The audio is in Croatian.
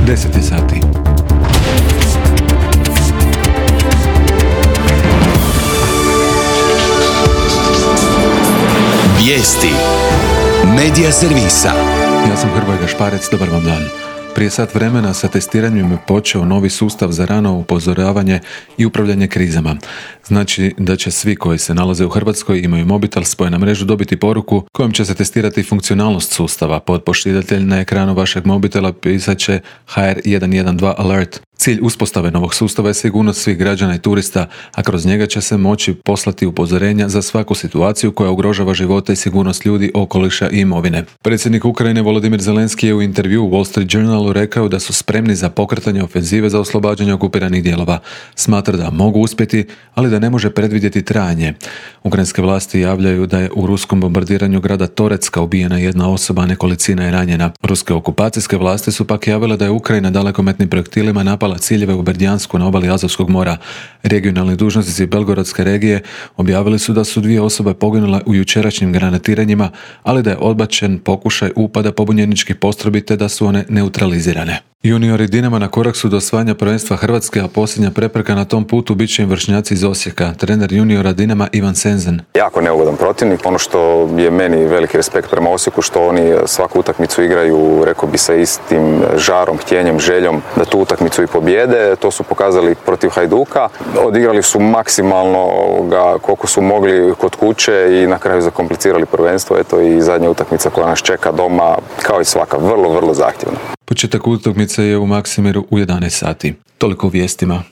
10 sati. Vijesti Medija servisa. Ja sam Hrvoje Gašparec, dobar vam dan. Prije sat vremena sa testiranjem je počeo novi sustav za rano upozoravanje i upravljanje krizama. Znači da će svi koji se nalaze u Hrvatskoj i imaju mobitel spojen na mrežu dobiti poruku kojom će se testirati funkcionalnost sustava. Podpošiljatelj na ekranu vašeg mobitela pisat će HR 112 alert. Cilj uspostave novog sustava je sigurnost svih građana i turista, a kroz njega će se moći poslati upozorenja za svaku situaciju koja ugrožava živote i sigurnost ljudi, okoliša i imovine. Predsjednik Ukrajine Volodymyr Zelenski je u intervjuu u Wall Street Journalu rekao da su spremni za pokretanje ofenzive za oslobađanje okupiranih dijelova. Smatra da mogu uspjeti, ali da ne može predvidjeti trajanje. Ukrajinske vlasti javljaju da je u ruskom bombardiranju grada Toretska ubijena jedna osoba, a nekolicina je ranjena. Ruske okupacijske vlasti su pak javile da je Ukrajina dalekometnim projektilima napala ciljeve u Berdjansku na obali Azovskog mora. Regionalni dužnosnici Belgorodske regije objavili su da su 2 osobe poginule u jučerašnjim granatiranjima, ali da je odbačen pokušaj upada pobunjeničkih postrojbi te da su one neutralizirane. Juniori Dinama na korak su do osvajanja prvenstva Hrvatske, a posljednja prepreka na tom putu bit će im vršnjaci iz Osijeka. Trener juniora Dinama Ivan Senzen. Jako neugodan protivnik. Ono što je meni veliki respekt prema Osijeku, što oni svaku utakmicu igraju, rekao bi, sa istim žarom, htjenjem, željom da tu utakmicu i pobjede. To su pokazali protiv Hajduka. Odigrali su maksimalno koliko su mogli kod kuće i na kraju zakomplicirali prvenstvo. Eto i zadnja utakmica koja nas čeka doma, kao i svaka, vrlo, vrlo zahtjevna. Početak utakmice je u Maksimiru u 11 sati. Toliko u vijestima.